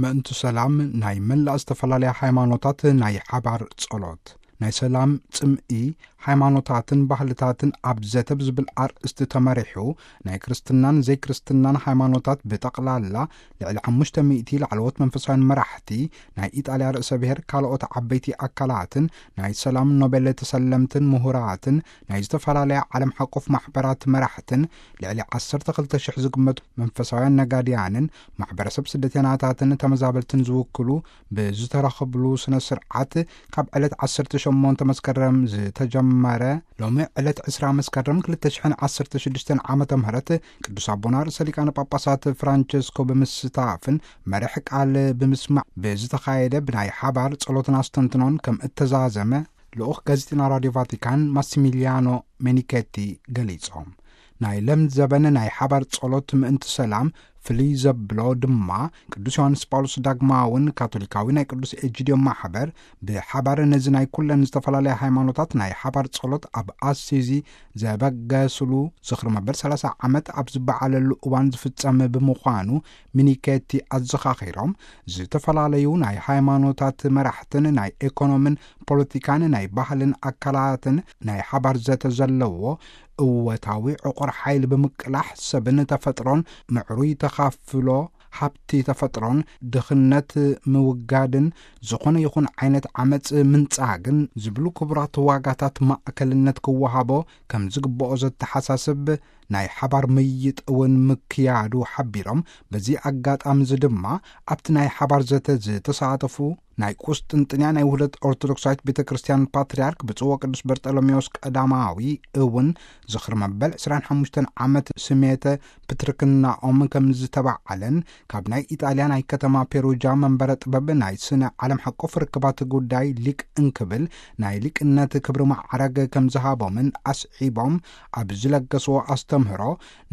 ምእንቲ ሰላም ናይ መላእ ዝተፈላለያ ሃይማኖታት ናይ ሓባር ጸሎት። ናይ ሰላም ጽምኢ፣ ሃይማኖታትን ባህልታትን ኣብ ዘተ ብዝብል ኣርእስቲ ተመሪሑ፣ ናይ ክርስትናን ዘይክርስትናን ሃይማኖታት ብጠቕላላ ልዕሊ ሓሙሽተ ሚእቲ ላዕለዎት መንፈሳውያን መራሕቲ፣ ናይ ኢጣልያ ርእሰ ብሔር፣ ካልኦት ዓበይቲ ኣካላትን ናይ ሰላም ኖቤል ተሰለምትን ምሁራትን ናይ ዝተፈላለያ ዓለም ሓቆፍ ማሕበራት መራሕትን ልዕሊ ዓሰርተ ክልተ ሽሕ ዝግመቱ መንፈሳውያን ነጋድያንን ማሕበረሰብ ስደተኛታትን ተመዛበልትን ዝውክሉ ብዝተረኸብሉ ስነ ስርዓት፣ ካብ ዕለት ዓሰርተ ሸሞንተ መስከረም ዝተጀመረ፣ ሎሚ ዕለት ዕስራ መስከረም ክልተ ሽሕን ዓሰርተ ሽዱሽተን ዓመተ ምህረት ቅዱስ ኣቦና ርእሰ ሊቃነ ጳጳሳት ፍራንቸስኮ ብምስታፍን መርሕ ቃል ብምስማዕ ብዝተኻየደ ብናይ ሓባር ጸሎትን ኣስተንትኖን ከም እተዛዘመ ልኡኽ ጋዜጠና ራድዮ ቫቲካን ማሲሚሊያኖ ሜኒኬቲ ገሊጾም። ናይ ለም ዘበን ናይ ሓባር ጸሎት ምእንቲ ሰላም ፍልይ ዘብሎ ድማ፣ ቅዱስ ዮሃንስ ጳውሎስ ዳግማውን ካቶሊካዊ ናይ ቅዱስ ኤጂድዮ ማሕበር ብሓባር ነዚ ናይ ኩለን ዝተፈላለያ ሃይማኖታት ናይ ሓባር ጸሎት ኣብ ኣሲዚ ዘበገስሉ ዝኽሪ መበል ሰላሳ ዓመት ኣብ ዝበዓለሉ እዋን ዝፍጸም ብምዃኑ፣ ሚኒኬቲ ኣዘኻኺሮም፣ ዝተፈላለዩ ናይ ሃይማኖታት መራሕትን ናይ ኤኮኖምን ፖለቲካን ናይ ባህልን ኣካላትን ናይ ሓባር ዘተ ዘለዎ እወታዊ ዕቑር ሓይሊ ብምቅላሕ፣ ሰብን ተፈጥሮን ምዕሩይ ተኻፍሎ፣ ሃብቲ ተፈጥሮን ድኽነት ምውጋድን ዝኾነ ይኹን ዓይነት ዓመጽ ምንጻግን ዝብሉ ክቡራት ዋጋታት ማእከልነት ክወሃቦ ከም ዝግብኦ ዘተሓሳስብ ናይ ሓባር ምይጥ እውን ምክያዱ ሓቢሮም፣ በዚ ኣጋጣሚ እዚ ድማ ኣብቲ ናይ ሓባር ዘተ ዝተሳተፉ ናይ ቁስጥንጥንያ ናይ ውህደት ኦርቶዶክሳዊት ቤተ ክርስቲያን ፓትርያርክ ብፁዕ ወቅዱስ በርጠሎሜዎስ ቀዳማዊ እውን ዝኽሪ መበል ዕስራን ሓሙሽተን ዓመት ስሜተ ፕትርክናኦም ከም ዝተባዓለን፣ ካብ ናይ ኢጣልያ ናይ ከተማ ፔሩጃ መንበረ ጥበብ ናይ ስነ ዓለም ሓቆፍ ርክባት ጉዳይ ሊቅ እንክብል ናይ ሊቅነት ክብሪ ማዕረግ ከም ዝሃቦምን ኣስዒቦም፣ ኣብ ዝለገስዎ ኣስተምህሮ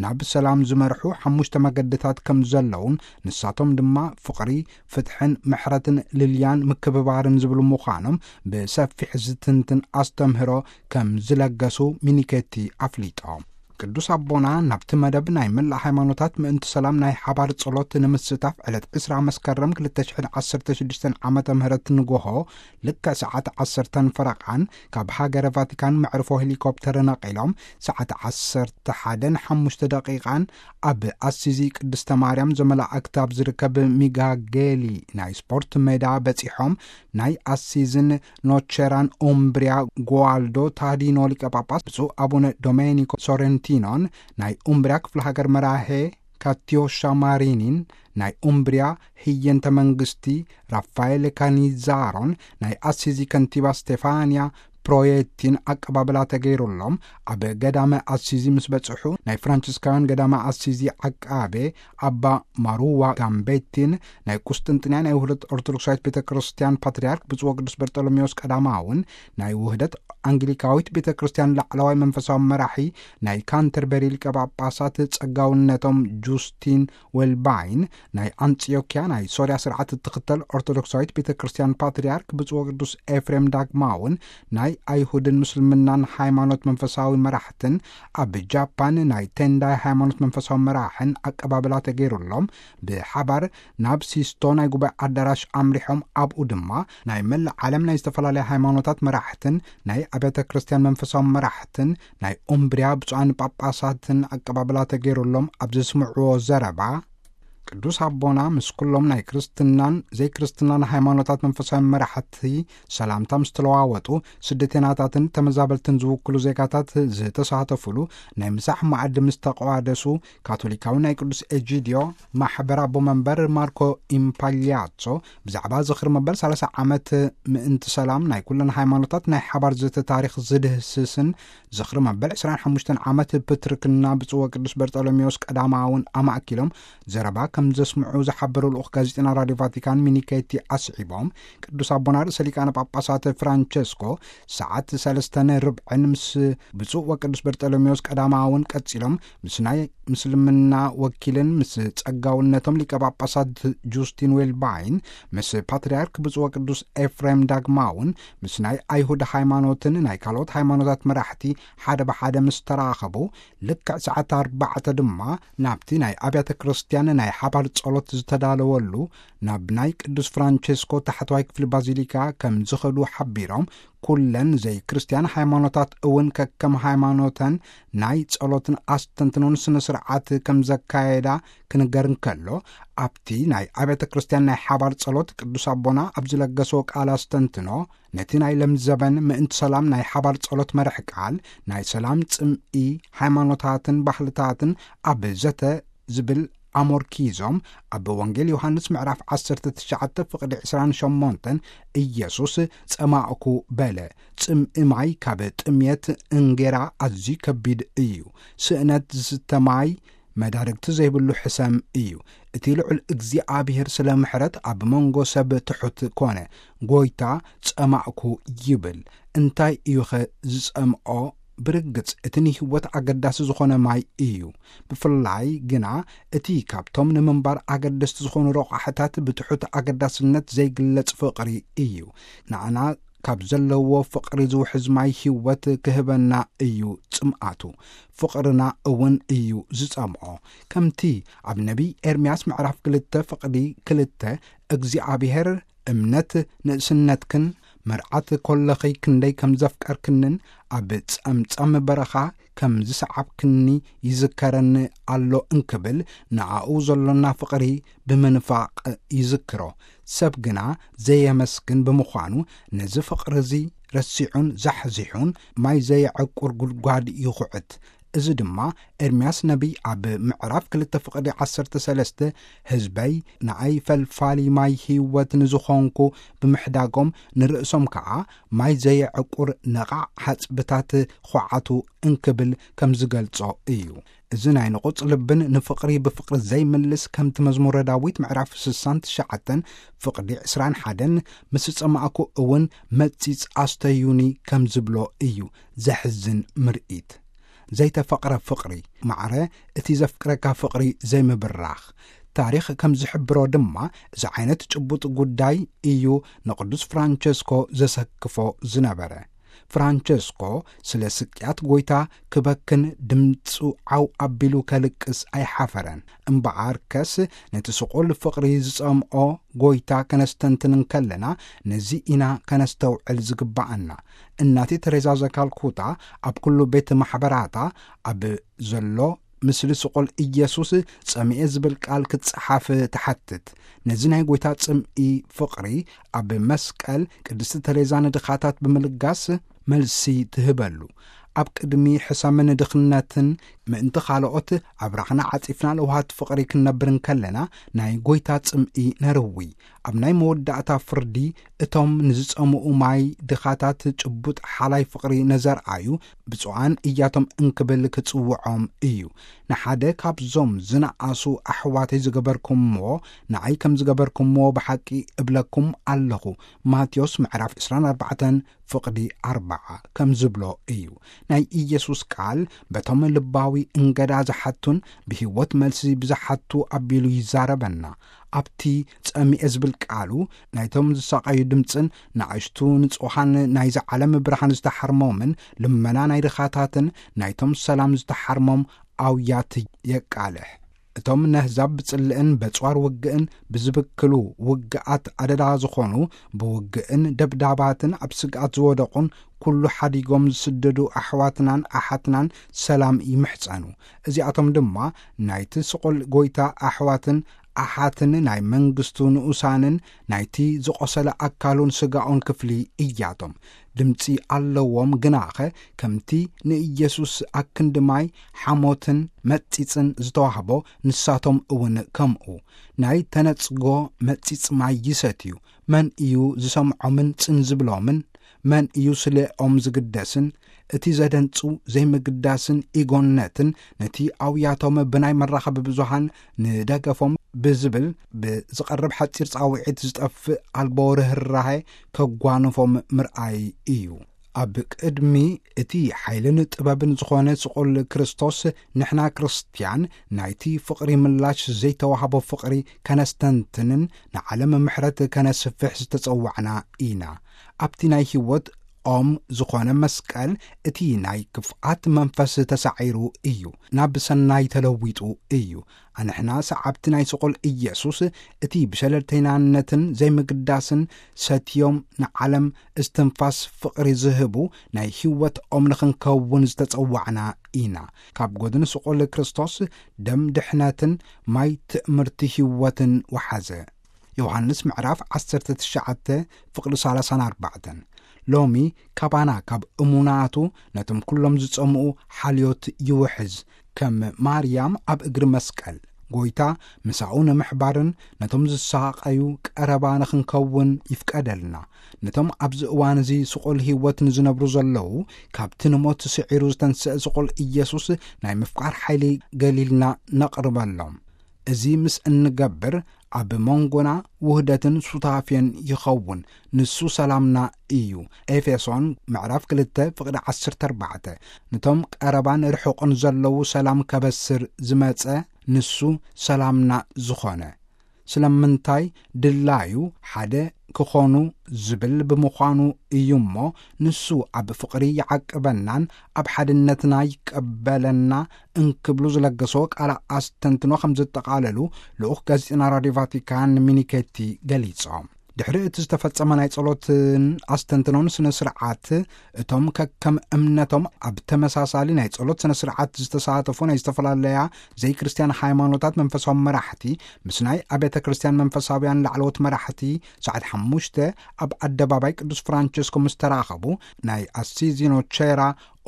ናብ ሰላም ዝመርሑ ሓሙሽተ መገድታት ከም ዘለውን፣ ንሳቶም ድማ ፍቕሪ፣ ፍትሕን ምሕረትን ልልያን ምክብባርን ዝብሉ ምዃኖም ብሰፊሕ ዝትንትን ኣስተምህሮ ከም ዝለገሱ ሚኒኬቲ ኣፍሊጦም። ቅዱስ ኣቦና ናብቲ መደብ ናይ መላእ ሃይማኖታት ምእንቲ ሰላም ናይ ሓባር ጸሎት ንምስታፍ ዕለት ዕስራ መስከረም ክልተ ሽሕን ዓሰርተ ሽዱሽተን ዓመተ ምህረት ንጎሆ ልክዕ ሰዓት ዓሰርተን ፈረቓን ካብ ሃገረ ቫቲካን መዕርፎ ሄሊኮፕተር ነቒሎም ሰዓት ዓሰርተ ሓደን ሓሙሽተ ደቂቓን ኣብ ኣሲዚ ቅድስተ ማርያም ዘመላእክት ኣብ ዝርከብ ሚጋጌሊ ናይ ስፖርት ሜዳ በጺሖም፣ ናይ ኣሲዝን ኖቸራን ኡምብሪያ ጓልዶ ታዲኖ ሊቀ ጳጳስ ብፁዕ ኣቡነ ዶሜኒኮ ሶረንቲኖን ናይ ኡምብሪያ ክፍለ ሃገር መራሄ ካቲዮሻ ማሪኒን ናይ ኡምብሪያ ህየንተ መንግስቲ ራፋኤል ካኒዛሮን ናይ ኣሲዚ ከንቲባ ስቴፋንያ ፕሮየቲን ኣቀባብላ ተገይሩሎም ኣብ ገዳመ ኣሲዚ ምስ በጽሑ፣ ናይ ፍራንሲስካውያን ገዳመ ኣሲዚ ዓቃቤ ኣባ ማሩዋ ጋምቤቲን ናይ ቁስጥንጥንያ ናይ ውህደት ኦርቶዶክሳዊት ቤተ ክርስቲያን ፓትርያርክ ብፁዕ ወቅዱስ በርጠሎሜዎስ ቀዳማውን ናይ ውህደት ኣንግሊካዊት ቤተ ክርስቲያን ላዕለዋይ መንፈሳዊ መራሒ ናይ ካንተርበሪ ሊቀ ጳጳሳት ጸጋውነቶም ጁስቲን ዌልባይን፣ ናይ ኣንጽዮክያ ናይ ሶርያ ስርዓት እትኽተል ኦርቶዶክሳዊት ቤተ ክርስቲያን ፓትርያርክ ብፁዕ ወቅዱስ ኤፍሬም ዳግማውን ናይ ኣይሁድን ምስልምናን ሃይማኖት መንፈሳዊ መራሕትን፣ ኣብ ጃፓን ናይ ቴንዳይ ሃይማኖት መንፈሳዊ መራሕን ኣቀባብላ ተገይሩሎም ብሓባር ናብ ሲስቶ ናይ ጉባኤ ኣዳራሽ ኣምሪሖም፣ ኣብኡ ድማ ናይ መላእ ዓለም ናይ ዝተፈላለያ ሃይማኖታት መራሕትን ናይ ኣብያተ ክርስቲያን መንፈሳዊ መራሕትን ናይ ኡምብሪያ ብፁዓን ጳጳሳትን ኣቀባብላ ተገይሩሎም ኣብ ዘስምዕዎ ዘረባ፣ ቅዱስ ኣቦና ምስ ኩሎም ናይ ክርስትናን ዘይክርስትናን ሃይማኖታት መንፈሳዊ መራሕቲ ሰላምታ ምስ ተለዋወጡ፣ ስደተናታትን ተመዛበልትን ዝውክሉ ዜጋታት ዝተሳተፉሉ ናይ ምሳሕ መኣዲ ምስ ተቋደሱ፣ ካቶሊካዊ ናይ ቅዱስ ኤጂድዮ ማሕበር ኣቦ መንበር ማርኮ ኢምፓሊያጾ ብዛዕባ ዝኽሪ መበል ሰላሳ ዓመት ምእንቲ ሰላም ናይ ኩለን ሃይማኖታት ናይ ሓባር ዘተ ታሪኽ ዝድህስስን ዝኽሪ መበል ዕስራን ሓሙሽተን ዓመት ፕትርክና ብፁዕ ወቅዱስ በርጠሎሜዎስ ቀዳማውን ኣማእኪሎም ዘረባ ከም ዘስምዑ ዝሓበሩ ልኡኽ ጋዜጠና ራድዮ ቫቲካን ሚኒኬቲ ኣስዒቦም፣ ቅዱስ ኣቦና ርእሰ ሊቃነ ጳጳሳት ፍራንቸስኮ ሰዓት ሰለስተን ርብዕን ምስ ብፁዕ ወቅዱስ በርጠሎሜዎስ ቀዳማውን ቀጺሎም ምስ ናይ ምስልምና ወኪልን ምስ ጸጋውነቶም ሊቀ ጳጳሳት ጁስቲን ዌልባይን፣ ምስ ፓትርያርክ ብፁዕ ወቅዱስ ኤፍሬም ዳግማውን ምስ ናይ ኣይሁድ ሃይማኖትን ናይ ካልኦት ሃይማኖታት መራሕቲ ሓደ ብሓደ ምስ ተራኸቡ፣ ልክዕ ሰዓት ኣርባዕተ ድማ ናብቲ ናይ ኣብያተ ክርስቲያን ናይ ሓባር ጸሎት ዝተዳለወሉ ናብ ናይ ቅዱስ ፍራንቸስኮ ታሕተዋይ ክፍሊ ባዚሊካ ከም ዝኸዱ ሓቢሮም፣ ኩለን ዘይክርስትያን ሃይማኖታት እውን ከከም ሃይማኖተን ናይ ጸሎትን ኣስተንትኖን ስነ ስርዓት ከም ዘካየዳ ክንገር እንከሎ፣ ኣብቲ ናይ ኣብያተ ክርስቲያን ናይ ሓባር ጸሎት ቅዱስ ኣቦና ኣብ ዝለገሶ ቃል ኣስተንትኖ፣ ነቲ ናይ ለምዘበን ምእንቲ ሰላም ናይ ሓባር ጸሎት መርሕ ቃል ናይ ሰላም ጽምኢ ሃይማኖታትን ባህልታትን ኣብ ዘተ ዝብል ኣሞርኪዞም፣ ኣብ ወንጌል ዮሃንስ ምዕራፍ ዓሰርተ ትሽዓተ ፍቕዲ ዕስራን ሸሞንተን ኢየሱስ ጸማእኩ በለ። ጽምኢ ማይ ካብ ጥምየት እንጌራ ኣዝዩ ከቢድ እዩ። ስእነት ዝስተ ማይ መዳርግቲ ዘይብሉ ሕሰም እዩ። እቲ ልዑል እግዚኣብሔር ስለ ምሕረት ኣብ መንጎ ሰብ ትሑት ኮነ። ጎይታ ጸማእኩ ይብል። እንታይ እዩኸ ዝጸምኦ? ብርግጽ እቲ ንህይወት ኣገዳሲ ዝኾነ ማይ እዩ። ብፍላይ ግና እቲ ካብቶም ንምንባር ኣገደስቲ ዝኾኑ ረቋሕታት ብትሑት ኣገዳስነት ዘይግለጽ ፍቕሪ እዩ። ንኣና ካብ ዘለዎ ፍቕሪ ዝውሕዝ ማይ ህይወት ክህበና እዩ ጽምኣቱ። ፍቕርና እውን እዩ ዝጸምኦ። ከምቲ ኣብ ነቢይ ኤርምያስ ምዕራፍ ክልተ ፍቕዲ ክልተ እግዚኣብሔር እምነት ንእስነትክን መርዓት ኮለኺ ክንደይ ከም ዘፍቀርክንን ኣብ ጸምጸም በረኻ ከም ዝሰዓብክኒ ይዝከረኒ ኣሎ እንክብል ንኣኡ ዘሎና ፍቕሪ ብምንፋቕ ይዝክሮ። ሰብ ግና ዘየመስግን ብምዃኑ ነዚ ፍቕሪ እዚ ረሲዑን ዛሕዚሑን ማይ ዘየዕቁር ጉድጓድ ይኹዕት። እዚ ድማ ኤርምያስ ነቢይ ኣብ ምዕራፍ ክልተ ፍቕዲ ዓሰርተ ሰለስተ ህዝበይ ንኣይ ፈልፋሊ ማይ ህይወት ንዝኾንኩ ብምህዳጎም ንርእሶም ከኣ ማይ ዘየዕቁር ነቓዕ ሓጽብታት ኹዓቱ እንክብል ከም ዝገልጾ እዩ። እዚ ናይ ንቑጽ ልብን ንፍቕሪ ብፍቕሪ ዘይምልስ ከምቲ መዝሙረ ዳዊት ምዕራፍ ስሳን ትሽዓተን ፍቕዲ ዕስራን ሓደን ምስ ጸማእኩ እውን መጺጽ ኣስተዩኒ ከም ዝብሎ እዩ። ዘሕዝን ምርኢት። ዘይተፈቕረ ፍቕሪ፣ ማዕረ እቲ ዘፍቅረካ ፍቕሪ ዘይምብራኽ። ታሪኽ ከም ዝሕብሮ ድማ እዚ ዓይነት ጭቡጥ ጉዳይ እዩ ንቅዱስ ፍራንቸስኮ ዘሰክፎ ዝነበረ። ፍራንቸስኮ ስለ ስቅያት ጎይታ ክበክን ድምፁ ዓው ኣቢሉ ከልቅስ ኣይሓፈረን። እምበኣርከስ ነቲ ስቑል ፍቕሪ ዝጸምኦ ጎይታ ከነስተንትን እንከለና ነዚ ኢና ከነስተውዕል ዝግባኣና። እናቴ ተሬዛ ዘካልኩታ ኣብ ኩሉ ቤት ማሕበራታ ኣብ ዘሎ ምስሊ ስቑል ኢየሱስ ጸሚኤ ዝብል ቃል ክትጸሓፍ ትሓትት። ነዚ ናይ ጎይታ ጽምኢ ፍቕሪ ኣብ መስቀል ቅድስቲ ተሬዛ ንድኻታት ብምልጋስ መልሲ ትህበሉ። ኣብ ቅድሚ ሕሰምን ድኽነትን ምእንቲ ካልኦት ኣብራኽና ዓጺፍና ለውሃት ፍቕሪ ክንነብር እንከለና ናይ ጎይታ ጽምኢ ነርዊ። ኣብ ናይ መወዳእታ ፍርዲ እቶም ንዝጸምኡ ማይ ድኻታት ጭቡጥ ሓላይ ፍቕሪ ነዘርኣዩ ብፁዓን እያቶም እንክብል ክጽውዖም እዩ። ንሓደ ካብዞም ዝነኣሱ ኣሕዋተይ ዝገበርኩምዎ ንዓይ ከም ዝገበርኩምዎ ብሓቂ እብለኩም ኣለኹ። ማቴዎስ ምዕራፍ ዕስራን ኣርባዕተን ፍቕዲ ኣርብዓ ከም ዝብሎ እዩ። ናይ ኢየሱስ ቃል በቶም ልባዊ እንገዳ ዝሓቱን ብህይወት መልሲ ብዝሓቱ ኣቢሉ ይዛረበና። ኣብቲ ጸሚኤ ዝብል ቃሉ ናይቶም ዝሳቐዩ ድምጽን ንኣሽቱ ንጹሃን ናይዚ ዓለም ብርሃን ዝተሓርሞምን ልመና ናይ ድኻታትን ናይቶም ሰላም ዝተሓርሞም ኣውያት የቃልሕ። እቶም ነህዛብ ብጽልእን በጽዋር ውግእን ብዝብክሉ ውግኣት ኣደዳ ዝኾኑ ብውግእን ደብዳባትን ኣብ ስግኣት ዝወደቑን ኩሉ ሓዲጎም ዝስደዱ ኣሕዋትናን ኣሓትናን ሰላም ይምሕጸኑ። እዚኣቶም ድማ ናይቲ ስቑል ጎይታ ኣሕዋትን ኣሓትን ናይ መንግስቱ ንኡሳንን ናይቲ ዝቖሰለ ኣካሉን ስጋኡን ክፍሊ እያቶም። ድምጺ ኣለዎም ግናኸ ከምቲ ንኢየሱስ ኣክንዲ ማይ ሓሞትን መጺጽን ዝተዋህቦ ንሳቶም እውን ከምኡ ናይ ተነጽጎ መጺጽ ማይ ይሰትዩ። መን እዩ ዝሰምዖምን ጽን ዝብሎምን? መን እዩ ስለኦም ዝግደስን? እቲ ዘደንጹ ዘይምግዳስን ኢጎነትን ነቲ ኣውያቶም ብናይ መራኸቢ ብዙሃን ንደገፎም ብዝብል ብዝቐርብ ሓጺር ጻውዒት ዝጠፍእ ኣልቦ ርህራሄ ከጓንፎም ምርኣይ እዩ። ኣብ ቅድሚ እቲ ሓይልን ጥበብን ዝኾነ ስቑል ክርስቶስ ንሕና ክርስትያን ናይቲ ፍቕሪ ምላሽ ዘይተዋህቦ ፍቕሪ ከነስተንትንን ንዓለም ምሕረት ከነስፍሕ ዝተጸዋዕና ኢና። ኣብቲ ናይ ህይወት ኦም ዝኾነ መስቀል፣ እቲ ናይ ክፍኣት መንፈስ ተሳዒሩ እዩ፣ ናብ ሰናይ ተለዊጡ እዩ። ኣንሕና ሰዓብቲ ናይ ስቑል ኢየሱስ፣ እቲ ብሸለልተይናነትን ዘይምግዳስን ሰትዮም ንዓለም እስትንፋስ ፍቕሪ ዝህቡ ናይ ህይወት ኦም ንኽንከውን ዝተጸዋዕና ኢና። ካብ ጎድኒ ስቑል ክርስቶስ ደም ድሕነትን ማይ ትእምርቲ ህይወትን ወሓዘ። ዮሃንስ ምዕራፍ ዓሰርተ ትሽዓተ ፍቕዲ ሰላሳን ኣርባዕተን። ሎሚ ካባና ካብ እሙናቱ ነቶም ኩሎም ዝጸምኡ ሓልዮት ይውሕዝ። ከም ማርያም ኣብ እግሪ መስቀል ጎይታ ምሳኡ ንምሕባርን ነቶም ዝሳቐዩ ቀረባ ንኽንከውን ይፍቀደልና። ነቶም ኣብዚ እዋን እዚ ስቑል ህይወት ንዝነብሩ ዘለዉ፣ ካብቲ ንሞት ስዒሩ ዝተንስአ ስቑል ኢየሱስ ናይ ምፍቃር ሓይሊ ገሊልና ነቕርበሎም። እዚ ምስ እንገብር ኣብ መንጎና ውህደትን ሱታፌን ይኸውን። ንሱ ሰላምና እዩ። ኤፌሶን ምዕራፍ ክልተ ፍቕዲ ዓሰርተ ኣርባዕተ። ነቶም ቀረባን ርሑቕን ዘለዉ ሰላም ከበስር ዝመጸ ንሱ ሰላምና ዝኾነ። ስለምንታይ ድላዩ ሓደ ክኾኑ ዝብል ብምዃኑ እዩ እሞ፣ ንሱ ኣብ ፍቕሪ ይዓቅበናን ኣብ ሓድነትና ይቀበለና እንክብሉ ዝለገሶ ቃል ኣስተንትኖ ከም ዘጠቓለሉ ልኡኽ ጋዜጠና ራድዮ ቫቲካን ሚኒኬቲ ገሊጾም። ድሕሪ እቲ ዝተፈጸመ ናይ ጸሎትን ኣስተንትኖን ስነ ስርዓት፣ እቶም ከከም እምነቶም ኣብ ተመሳሳሊ ናይ ጸሎት ስነ ስርዓት ዝተሳተፉ ናይ ዝተፈላለያ ዘይክርስትያን ሃይማኖታት መንፈሳዊ መራሕቲ ምስ ናይ ኣብያተ ክርስትያን መንፈሳውያን ላዕለዎት መራሕቲ ሰዓት ሓሙሽተ ኣብ ኣደባባይ ቅዱስ ፍራንቸስኮ ምስ ተራኸቡ፣ ናይ ኣሲዚኖ ቼራ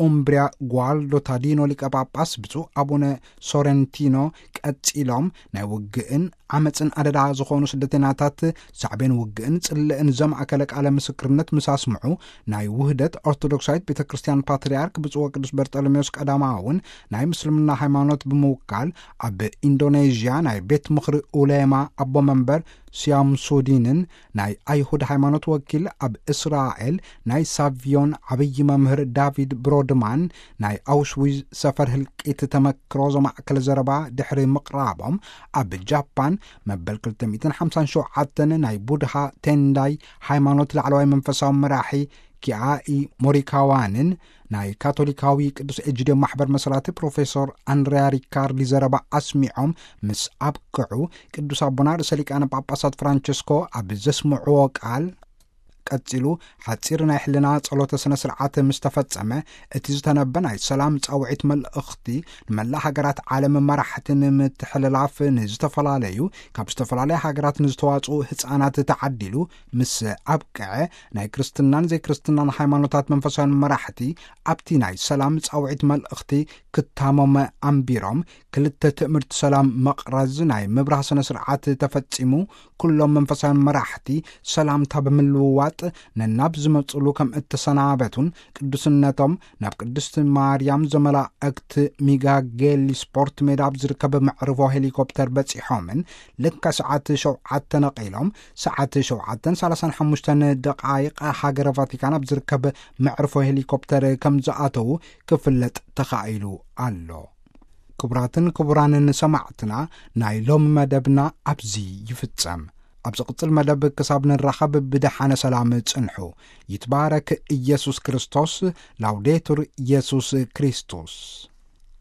ኡምብሪያ ጓልዶ ታዲኖ ሊቀ ጳጳስ ብፁዕ ኣቡነ ሶረንቲኖ ቀጺሎም፣ ናይ ውግእን ዓመጽን ኣደዳ ዝኾኑ ስደተኛታት ሳዕቤን ውግእን ጽልእን ዘማእከለ ቃለ ምስክርነት ምስ ኣስምዑ፣ ናይ ውህደት ኦርቶዶክሳዊት ቤተ ክርስቲያን ፓትርያርክ ብፁዕ ወቅዱስ በርጠሎሜዎስ ቀዳማውን ናይ ምስልምና ሃይማኖት ብምውካል፣ ኣብ ኢንዶኔዥያ ናይ ቤት ምኽሪ ኡሌማ ኣቦ መንበር ሲያምሱዲንን፣ ናይ ኣይሁድ ሃይማኖት ወኪል ኣብ እስራኤል ናይ ሳቪዮን ዓብዪ መምህር ዳቪድ ብሮድማን፣ ናይ ኣውሽዊዝ ሰፈር ህልቂት ተመክሮ ዘማእከለ ዘረባ ድሕሪ ምቕራቦም፣ ኣብ ጃፓን መበል ክልተ ሚእትን ሓምሳን ሸውዓተን ናይ ቡድሃ ቴንዳይ ሃይማኖት ላዕለዋይ መንፈሳዊ መራሒ ኪኣኢ ሞሪካዋንን ናይ ካቶሊካዊ ቅዱስ ኤጂድዮ ማሕበር መስራቲ ፕሮፌሶር ኣንድሪያ ሪካርዲ ዘረባ ኣስሚዖም ምስ ኣብቅዑ፣ ቅዱስ ኣቦና ርእሰ ሊቃነ ጳጳሳት ፍራንቸስኮ ኣብ ዘስምዕዎ ቃል፣ ቀጺሉ፣ ሓጺር ናይ ሕልና ጸሎተ ስነ ስርዓት ምስ ተፈጸመ፣ እቲ ዝተነበ ናይ ሰላም ጻውዒት መልእኽቲ ንመላእ ሃገራት ዓለም መራሕቲ ንምትሕልላፍ ንዝተፈላለዩ፣ ካብ ዝተፈላለያ ሃገራት ንዝተዋጽኡ ህጻናት ተዓዲሉ ምስ ኣብቅዐ፣ ናይ ክርስትናን ዘይክርስትናን ሃይማኖታት መንፈሳውያን መራሕቲ ኣብቲ ናይ ሰላም ጻውዒት መልእኽቲ ክታሞም ኣንቢሮም፣ ክልተ ትእምርቲ ሰላም መቕረዝ ናይ ምብራህ ስነ ስርዓት ተፈጺሙ፣ ኩሎም መንፈሳውያን መራሕቲ ሰላምታ ብምልውዋጥ ነናብ ዝመጽሉ ከም እተሰናበቱን፣ ቅዱስነቶም ናብ ቅድስቲ ማርያም ዘመላእክት ሚጋጌሊ ስፖርት ሜዳ ኣብ ዝርከብ መዕርፎ ሄሊኮፕተር በጺሖምን፣ ልክዕ ሰዓት ሸውዓተ ነቒሎም፣ ሰዓት ሸውዓተን ሰላሳን ሓሙሽተን ደቓይቕ ሃገረ ቫቲካን ኣብ ዝርከብ መዕርፎ ሄሊኮፕተር ከም ዝኣተዉ ክፍለጥ ተኻኢሉ ኣሎ። ክቡራትን ክቡራንን ሰማዕትና፣ ናይ ሎም መደብና ኣብዚ ይፍጸም። ኣብ ዝቕጽል መደብ ክሳብ ንራኸብ ብደሓነ ሰላም ጽንሑ። ይትባረክ ኢየሱስ ክርስቶስ። ላውዴቱር ኢየሱስ ክርስቶስ።